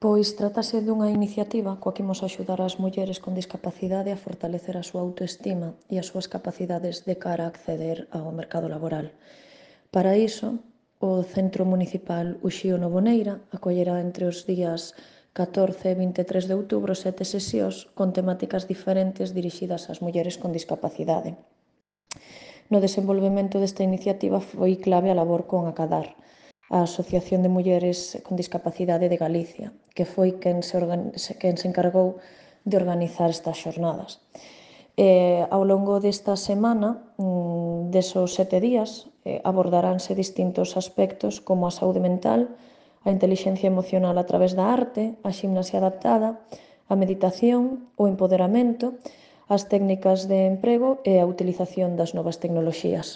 Pois trátase dunha iniciativa coa que imos axudar as mulleres con discapacidade a fortalecer a súa autoestima e as súas capacidades de cara a acceder ao mercado laboral. Para iso, o Centro Municipal Uxío Novoneira acollerá entre os días 14 e 23 de outubro 7 sesións con temáticas diferentes dirixidas ás mulleres con discapacidade. No desenvolvemento desta iniciativa foi clave a labor con Acadar, a Asociación de Mulleres con Discapacidade de Galicia, que foi quen se encargou de organizar estas xornadas. Ao longo desta semana, desos 7 días, abordaránse distintos aspectos como a saúde mental, a intelixencia emocional a través da arte, a ximnasia adaptada, a meditación, o empoderamento, as técnicas de emprego e a utilización das novas tecnoloxías.